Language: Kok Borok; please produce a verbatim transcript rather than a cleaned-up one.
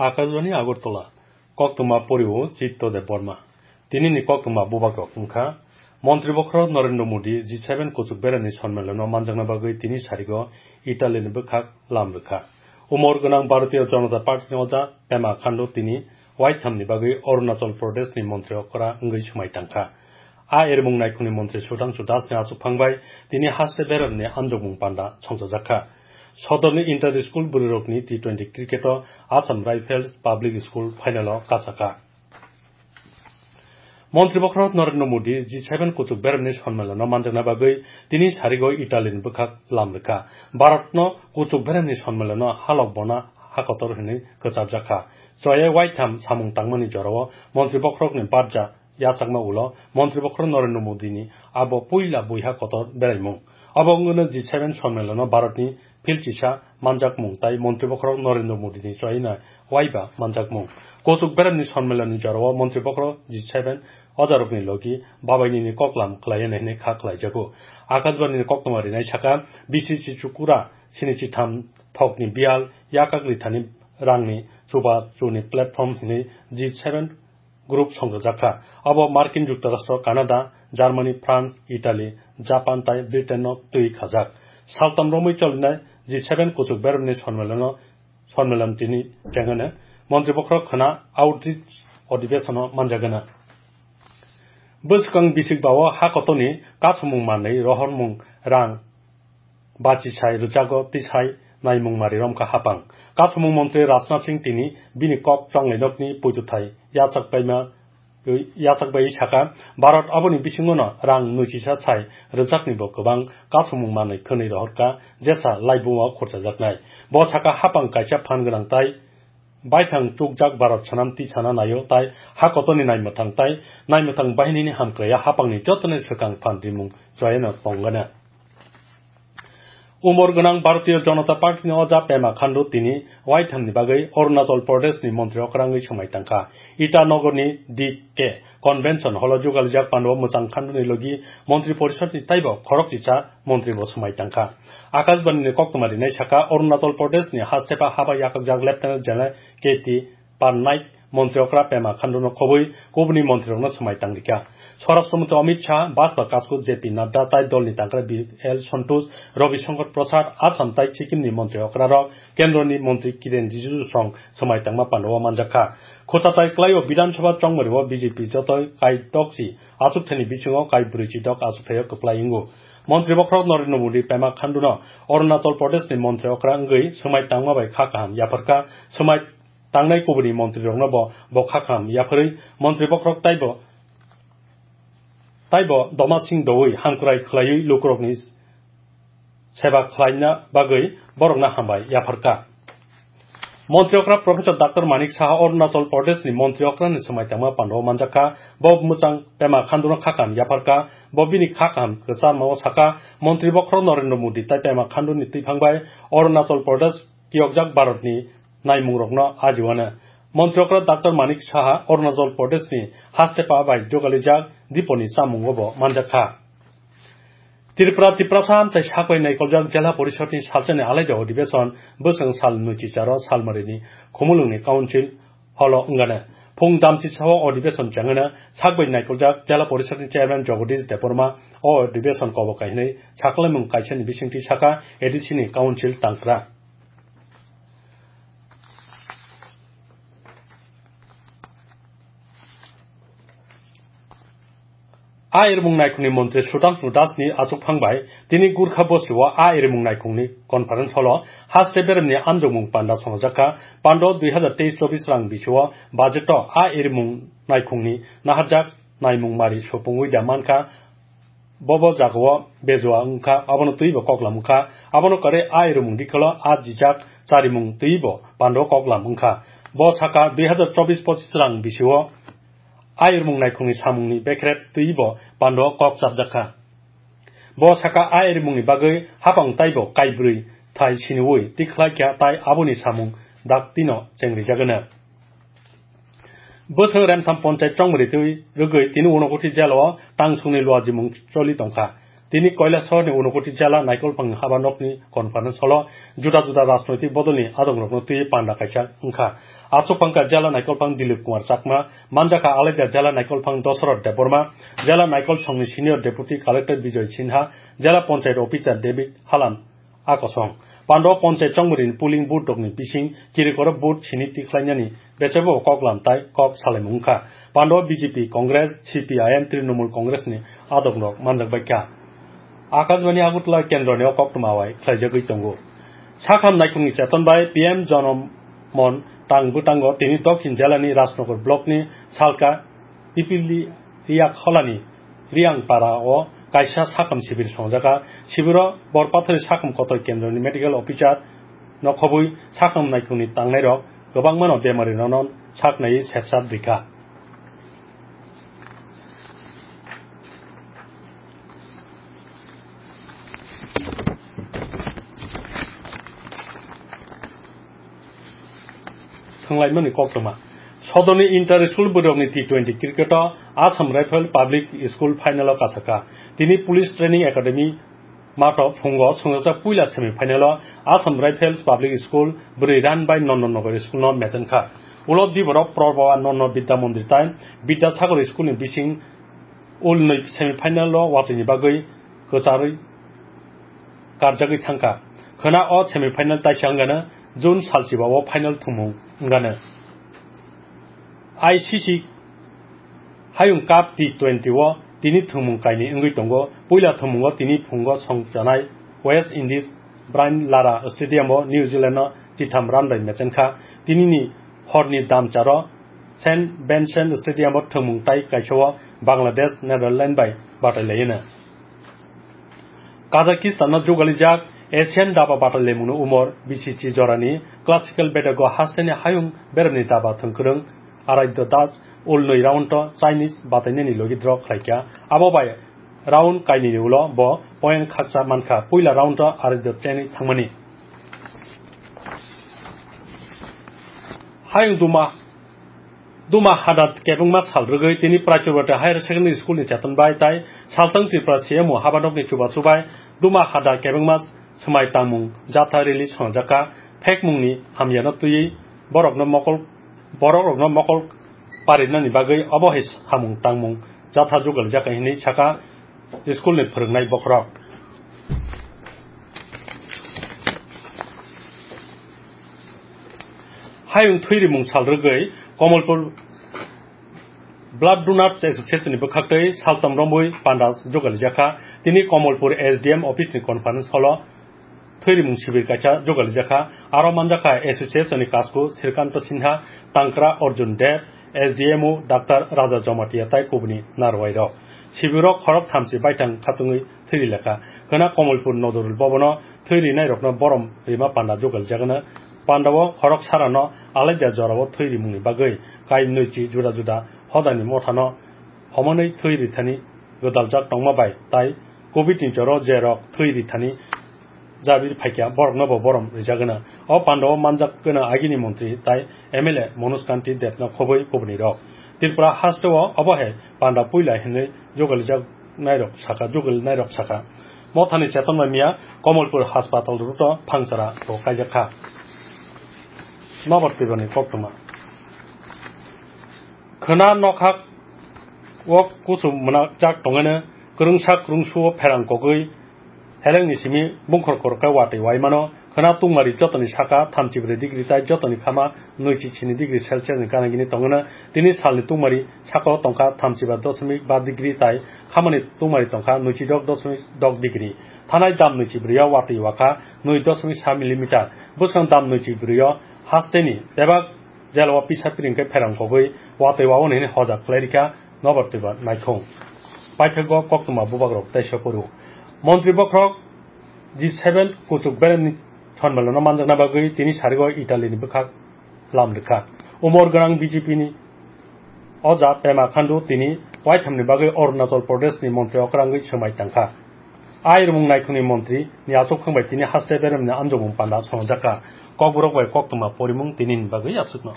Akashbani Agartala, koktwma porio Chitto Debbarma. Tinini koktwma bubagrok wngkha, Montri Bokhorok Narendra Modi G seven kuchuk beremni sonmilano manjakna bagwi tini sarigo Italyni bwkhak lam rwkha. Umor gwnang Bharatiya Janata Partyni oja Pema Khandu tini waithamni bagwi Arunachal Pradeshni montri okra wngwi swmai tangkha. A erimung naikhungni montri Sudhangshu Dasni achukphang bai tini haste beremni anjokmung panda songchajakha. Sodorni inter school bwrwirokni T twenty cricket-o Assam Rifles Public School final-o kachakha. Montri Bokhorok Narendra Modi G seven kuchuk beremni sonmilano manjakna bagwi tini sarigo Italyni bwkhak lam rwkha. Bharatno kuchuk beremni sonmilano halok bona hakotor hwnwi kwchapjakha. Choya waitham samung tangmani jorao Montri Bokhorokni barja yachakma ulo Montri Bokhorok Narendra Modini abo puila buiha kotor beraimung. Abo wngwino G seven sonmilano Bharatni philchisa manjakmung tai Montri Bokhorok Narendra Modini choyina waiba manjakmung. Kuchuk beremni sonmilani jorao Montri Bokhorok G seven ojarokni logi babainini koklam khlaiya hwnwi kha khlaijago. Akashbanini koktwma rinai saka B C C Chukura sini chitham thokni biyal yakak rithani rangni chuba chuni platform hwnwi G seven group songchajakha. Abo Markin Juktarasto, Canada, Germany, France, Italy, Japan tai Britain-no twi khajak. Saltam romwi cholinai G seven kuchuk beremni sonmilano, sonmilan tini chengano Montri Bokhorok khwna outreach odhibesono manjagana. Bwskang bisik bao ha kotorni kasumung manwi rohormung rang bachisai rwjago tisai naimung mari romkha hapang. Kasumung montri Rajnath Singh tini bini kok chonglainokni poituthai yachak paima, yachak bai saka, Bharat aboni bisingono rang nuichisa sai rwjaknibo kwbang kasumung manwi khwnwi rohorkha jesa laibuma khurchajaknai. Bo saka hapang kaisa phan gwnang tai baithang chukjak Bharat swnam tisana naio tai ha kotorni naimwthang tai naimwthang bahinini hamkraiya hapangni jotoni swkang phan rimung choyeno tongana. Umor gwnang Bharatiya Janata Partyni oja Pema Khandu tini waithamni bagwi Arunachal Pradeshni montri okrangwi swmai tangkha. Itanogorni D K Convention Hall-o jugalijak pando mwchang Khanduni logi Montri Porishodni taibo khorokchisa montribo swmai tangkha. Akashbanini koktwma rinai saka, Arunachal Pradeshni hastepa haba yakakjak Lieutenant General K T Parnaik montri okra Pema Khanduno khobwi kubuni montrikno swmai tangrikha. Swarashtra Mantri Amit Shah, Bajpa Kasku J P Nadda tai dolni tangkra B L Santosh, Ravi Shankar Prasad, Assam tai Sikkimni montri okrarok, Kendroni montri Kiren Rijiju song swmai tangma pandao manjakha. Khwchatai kwlaio Bidhan Sabha chongmario B J P jotoi kai tokchi achukthani bisingo kai brwichi dok achukthai kwplai wngo. Montri bokhorok Narendra Modi Pema Khanduno Arunachal Pradeshni montri okra wngwi swmai tangma bai kha kaham yapharkha. Swmai tangnai kubuni montrirokno bo, bo kha kaham yapharwi montri bokhorok taibo, taibo doma sing doui hamkrai khlaiwi lukurokni seba khlaina bagwi borokno hambai yapharkha. Montri okra Professor Doctor Manik Saha Arunachal Pradeshni montri okrani swmai tangma pandao manjakha. Bo mwchang Pema Khanduno kha kaham yapharkha. Bo bini kha kaham kwcharmao sakha, montri bokhorok Narendra Modi tai Pema Khanduni twiphang bai Arunachal Pradesh kiyokjak Bharatni naimungrokno ajiwano. Montri okra Doctor Manik Saha Arunachal Pradeshni hastepa bai jogalijak diponi chamungo bo manjakha. Tripura, Tiprasa amchai sakhwlai naikoljak Jela Porishodni salsani alaida odhibeson bwswng sal nwichicharo Salmarini Khumulwngni Council holo wngana. Phung damchisao odhibeson chengana sakbai naikoljak Jela Porishodni Chairman Jagadish Debbarma o odhibeson kobo kainwi saklaimung kaisani bisingtwi saka A D C ni Council tangkra. A erimung naikhungni montri Sudhangshu Dasni achukphang bai tini Gurkha bosio a erimung naikhungni conference holo haste beremni amjokmung panda songjakha. Pando dui hazar teis chobis rang bisio budgeto a erimung naikhungni naharjak naimung mari supungwi da mankha. Bobo jagao bejua wngkha, abono twibo koklam wngkha. Abono kwrwi a erimung dikholo a jijak charimung twibo pando koklam wngkha. Bo saka dui hazar chobis pochis rang bisio a erimung naikhungni samungni bekhret twibo pando kok chapjakha. Bo saka a erimungni bagwi hapang taibo kaibrwi thai siniui tikhlaikha tai aboni samung daktino chengrijagano. Bwswng Remtham Ponchai chongmwrwi twi rwgwi tini Unakoti jela o tangsongni luajimung choli tongkha. Tini Kailasahar ni Unakoti Jela Naikolphang Haba Nok ni conference hall o juda juda rajnoitik bodol ni adong rok no twi panda kaisa wngkha. Aswk phangkha Jela Naikolphang Dilip Kumar Chakma, manjakha Alaida Jela Naikolphang Dosoroth Debbarma, Jela Naikol Song ni Senior Deputy Collector Bijoy Sinha, Jela Panchayat Officer David Halam, a kosong. Pando Panchayat Chongmuri ni polling booth rok ni bising kirikoro vote sini tikhlainani bechebo kok lam tai kok salaimung wngkha. Pando B J P, Congress, C P I M, Trinamool Congress ni adong rok manjak baikha. Akashbani Agartala kendro ni o koktwma wai khlaijagwi tongo. Sakham naikhung ni cheton bai P M Jonom Mon tang bwtango tini Dokhin Jela ni Rajnagar block ni Salka Pipili Riyak Holani Riang Para o kaisa sakham sibir songjakha. Sibiro Borpathari Sakham Kotor Kendroni Medical Officer no khobwi sakham naikhungni tangnairok kwbangmano bemari nono saknai sepsap rikha. Thwnglaimani koktwma. Sodorni inter school bwrwkni T twenty cricket o Assam Rifle Public School final o kasaka. Tini Police Training Academy mato phungo swngjak puila semi final o Assam Rifles Public School bwrwi run by Nondon Nogor school no mechenkha. Ulo diborok Proboa Nono Bidya Mandir tai Bidya Sagar school ni bising ulnwi semi final o watwini bagwi kwcharwi karjagwi thangkha. Khwna o semi final taisa wngano June salchiba o final thumung wngano. I C C Hayung Cup T twenty o tini thumung kainwi wngwi tongo. Puila thumungo tini phungo songchanai West Indies Brian Lara Stadium o New Zealand no titham run bai mechenkha. Tinini horni damcharo Saint Vincent Stadium o thwngmung tai kaisa o Bangladesh Netherlands bai batai laino. Kazakhstan no jugalijak Asian daba batai lemungno umor B C C jorani classical bedego hasteni hayung beremni daba thwngkwrwng Aradhya Das ulnwi round o Chinese batainani logi draw khlaikha. Abo bai round kainwini ulo bo point khaksa mankha puila round o Aradhya tenwi thangmani. Hayung duma Duma hada kebengma sal rwgwi tini Prachurwati Higher Secondary School ni cheton bai tai Saltang Tripura C M O habanokni chubachu bai Duma hada kebengma swmai tangmung jatha rally swnamjakha. Phekmungni hamyano twiwi borokno mokol, borokrokno mokol parinani bagwi obo hai samung tangmung jatha jugalijak hinwi saka school ni phwrwngnai bokhorok. Hayung thwi rimung sal rwgwi Komolpur Blood Donors Association ni bwkhaktwi saltam romwi panda jugalijak kha. Tini Komolpur S D M office ni conference hall o thwi rimung sibir kaisa jugalijak kha. Aro manjak kha association ni kasku Srikanto Sinha, Tangkra Arjun Deb, S D M O Doctor Raja Jamatia tai kubuni narwai rok. Sibiro khorok thamchi baithang khatungwi thwi rilakha. Khwna Komolpur Nodorul Bhavan o thwi rinairokno borom rima panda jugaljagano. Pandao khorok sarano alaida jorao thwi rimungni bagwi kai nwichi juda juda hodani mothano homanwi thwi rithani gwdaljak tongma bai tai covid ni joro je rok thwi rithani jabi phaikha, borokno bo borom rijagwna. O pandao manjak gwnang agini montri tai M L A Manoj Kanti Debno khobwi kubuni rok. Tripura hasteo obo hai panda puila hinwi jugalijak nairok saka, jugal nairok saka. Mothani cheton bai miya Komolpur Haspatal road o phangsara bo kaijak kha. Nobar twibani koktwma. Khwna nokhak o kusu mwnajak tongwino kwrwngsa kwrwngsuo pherang kogwi helengni simi bungkhor khoroksa watwi waimano. Khwna tungmari jotoni saka thamchi brwi degree tai jotoni khama nwichi sini degree Celsius ni gana gini tongwino. Tini salni tungmari saka o tongkha thamchi ba dosmik ba degree tai khamani tungmari tongkha nwichi dok dosmik dok degree. Thanai dam nwichi brwi o watwi wakha nwi dosmik sa millimeter. Bwskang dam nwichi brwi o hasteni bebak jela o pisa piring khe pherang kogwi watwi wa-o hwnwi hojak khlai rikha nobar twiba naikhung. Paithakgo koktwma bubagrok teisa phuru. Montri bokhorok G seven kuchuk beremni sonmilano manjakna bagwi tini sarigo Italy ni bwkhak lam rikha. Umor gwnang B J P ni Oja Pema Khandu tini waithamni bagwi Arunachal Pradesh ni montri okrangwi swmai tangkha. Airmung naikhungni montri ni achukthang bai tini haste beremni anjomung panda swnamjakha. Kokborok bai koktwma porimung tinini bagwi aswkno.